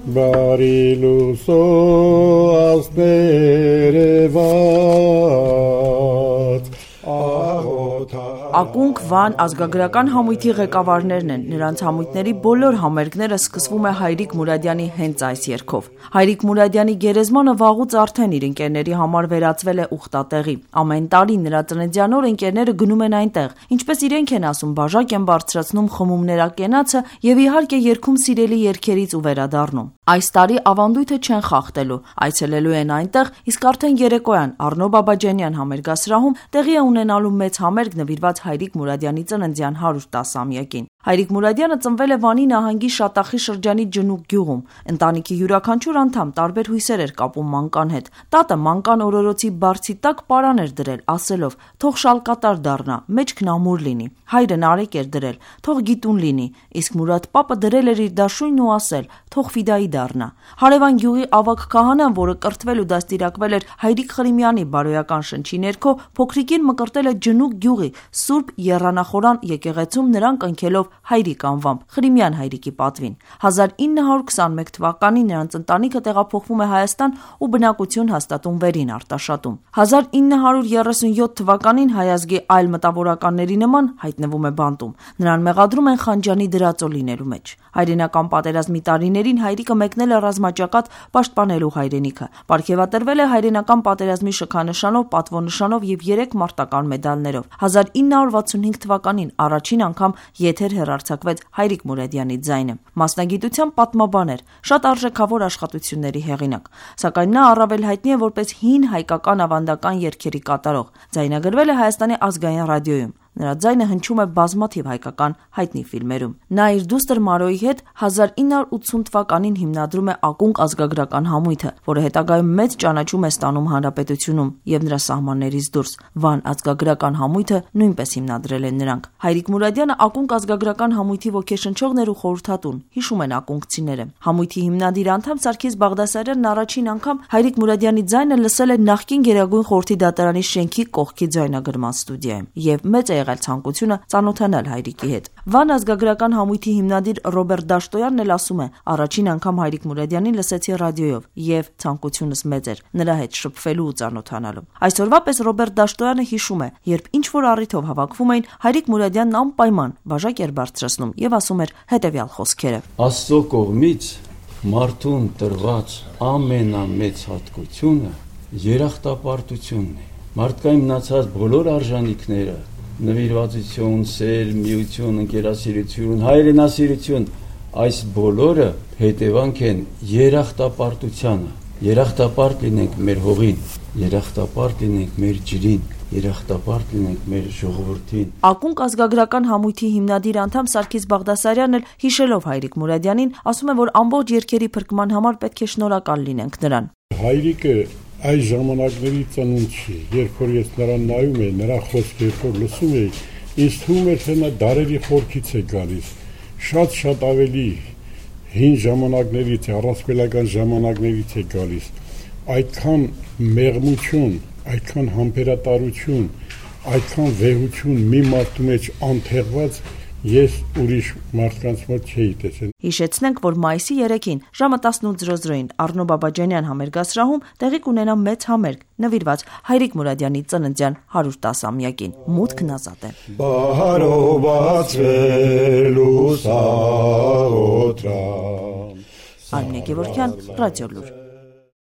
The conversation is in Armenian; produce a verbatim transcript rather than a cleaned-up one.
Բարի լուսո ասներևած Ակունք Վան ազգագրական համույթի ղեկավարներն են, նրանց համույթների բոլոր համերգները սկսվում է Հայրիկ Մուրադյանի հենց այս երգով։ Հայրիկ Մուրադյանի գերեզմանը վաղուց արդեն իր ընկերների համար վերածվել է ուխտատեղի։ Ամեն տարի նրա ծննդյան օրը ընկերները գնում են այնտեղ, ինչպես իրենք են ասում, բաժակ են բարձրացնում խմումներակենացը եւ իհարկե երգում սիրելի երգերից ու վերադառնում։ Այս տարի ավանդույթը չեն խախտելու, այցելելու են այնտեղ, իսկ արդեն երեկոյան Առնո Բաբաջանյան համերգասրահում տեղի է ունենալու մեծ համերգ նվիրված Հայրիկ Մուրադյանի ծննդյան հարյուր տասամյակին։ Հայրիկ Մուրադյանը ծնվել է Վանի նահանգի Շատախի շրջանի Ջնուկ գյուղում։ Ընտանիքի յուրաքանչյուր անդամ տարբեր հույսեր էր կապում մանկան հետ։ Տատը մանկան օրորոցի բարձի տակ պարան էր դրել, ասելով. «Թող շալկատար դառնա, մեջքն ամուր լինի»։ Հայրը նարեկ էր դրել. «Թող գիտուն լինի», իսկ Մուրադ պապը դրել էր իր դաշույնն ու ասել. «Թող ֆիդայի դառնա»։ Հարևան գյուղի ավագ քահանան, որը կրթվել ու դաստիարակվել էր Հայրիկ Խրիմյանի բարոյական շնչի ներքո, փոքրիկին մկրտել է Ջնուկ գյուղի Սուրբ Եռանախորան եկեղեցում նրան կնքելով Հայրիկ անվամբ, Խրիմյան Հայրիկի պատվին։ հազար ինը հարյուր քսանմեկ թվականին նրանց ընտանիքը տեղափոխվում է Հայաստան ու բնակություն հաստատում Վերին Արտաշատում։ հազար ինը հարյուր երեսունյոթ թվականին հայ ազգի այլ մտավորականների նման հայտնվում է բանտում։ Նրան մեղադրում են Խանջանի դրածո լինելու մեջ։ Հայրենական պատերազմի տարիներին Հայրիկը մեկնել է ռազմաճակատ պաշտպանելու հայրենիքը։ Պարգևատրվել է հայրենական պատերազմի շքանշանով, պատվոնշանով եւ երեք մարտական մեդալներով։ հազար ինը հարյուր վաթսունհինգ թվականին առաջին անգամ եթեր հեռարձակվեց Հայրիկ Մուրադյանի ձայնը։ Մասնագիտությամբ պատմաբան էր, շատ արժեքավոր աշխատությունների հեղինակ, սակայն նա առավել հայտնի է որպես հին հայկական ավանդական երգերի կատարող։ Ձայնագրվել է Հայաստանի ազգային ռադիոյում։ Նրա ձայնը հնչում է բազմաթիվ հայկական հայտնի ֆիլմերում։ Նա իր դուստր Մարոյի հետ հազար ինը հարյուր ութսուն թվականին հիմնադրում է Ակունք ազգագրական համույթը, որը հետագայում մեծ ճանաչում է ստանում հանրապետությունում եւ նրա սահմաններից դուրս։ Վան ազգագրական համույթը նույնպես հիմնադրել են նրանք։ Հայրիկ Մուրադյանը Ակունք ազգագրական համույթի ոգեշնչողն էր ու խորհրդատուն, հիշում են ակունքցիները։ Համույթի հիմնադիր անդամ Սարգիս Բաղդասարյանն առաջին անգամ Հայրիկ Մուրադյանի ձայնը լսել է նախկին Գերագույն խորհրդի դատարանի շենքի կողքի ձայնագրման ստուդիայում եւ մեծ է եղել ցանկությունը ծանոթանալ Հայրիկի հետ։ Վան ազգագրական համույթի հիմնադիր Ռոբերտ Դաշտոյանն էլ ասում է. «Առաջին անգամ Հայրիկ Մուրադյանին լսեցի ռադիոյով եւ ցանկությունս մեծ էր նրա հետ շփվելու ու ծանոթանալու»։ Այսօրվա պես Ռոբերտ Դաշտոյանը հիշում է, երբ ինչ որ առիթով հավաքվում էին, Հայրիկ Մուրադյանն անպայման բաժակ էր բարձրացնում եւ ասում էր հետեւյալ խոսքերը. «Աստծո կողմից մարդուն տրված ամենամեծ հատկությունը երախտապարտությունն է։ Մարդկային մնացած բոլոր արժանինքները՝ նվիրվածություն, սեր, միություն, ընկերասիրություն, հայրենասիրություն, այս բոլորը հետևանք են երախտապարտությանը։ Երախտապարտ լինենք մեր հողին, երախտապարտ լինենք մեր ջրին, երախտապարտ լինենք մեր ժողովրդին»։ Ակունք ազգագրական համույթի հիմնադիր անդամ Սարգիս Բաղդասարյանն էլ հիշելով Հայրիկ Մուրադյանին ասում է, որ ամբողջ երգերի փրկման համար պետք է շնորհակալ լինենք նրան։ Հայրիկը այս ժամանակների ծնունդ չի, երբ որ ես նրան նայում եի, նրա խոսքը երբ որ լսում էի, ինձ թվում էր, թե նա դարերի խորքից է գալիս, շատ-շատ ավելի հին ժամանակներից է, առասպելական ժամանակներից է գալիս, այդքան մեղմություն, այդքան համբերատարություն, այդքան վեհություն մի մարդու մեջ անթեղված ես ուրիշ մարդկանց մոտ չէի տեսել։ Հիշեցնենք, որ մայիսի երեքին ժամը տասնութ Առնո Բաբաջանյան համերգասրահում տեղի կունենա մեծ համերգ նվիրված Հայրիկ Մուրադյանի ծննդյան հարյուր տասամյակին։ Մուտքն ազատ է։ Բարով բացվելու սաղոթրան։ Արմինե Գևորգյան, Ռադիոլուր։